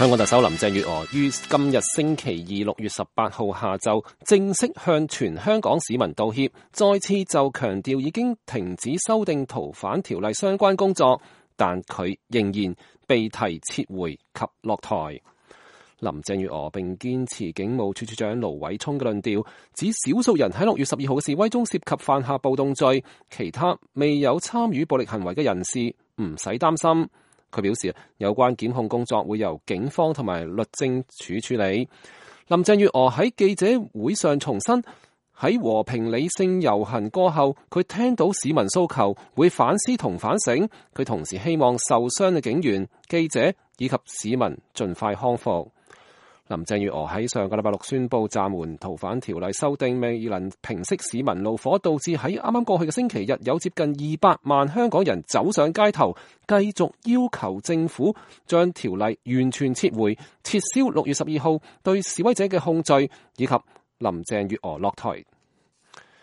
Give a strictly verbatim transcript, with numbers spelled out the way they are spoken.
香港特首林鄭月娥於今日星期二六月十八號下晝正式向全香港市民道歉，再次就強調已經停止修訂逃犯條例相關工作，但佢仍然被提撤回及落台。林鄭月娥並堅持警務處處長盧偉聰嘅論調，指少數人喺六月十二號嘅示威中涉及犯下暴動罪，其他未有參與暴力行為嘅人士唔使擔心。佢表示，有關檢控工作會由警方同埋律政署處理。林鄭月娥喺記者會上重申，喺和平理性遊行過後，佢聽到市民訴求，會反思同反省。佢同時希望受傷嘅警員、記者以及市民盡快康復。林鄭月娥喺上個禮拜六宣布暫緩逃犯條例修訂，未能平息市民怒火，導致喺啱啱過去嘅星期日有接近二百萬香港人走上街頭，繼續要求政府將條例完全撤回，撤銷六月十二號對示威者嘅控罪，以及林鄭月娥落台。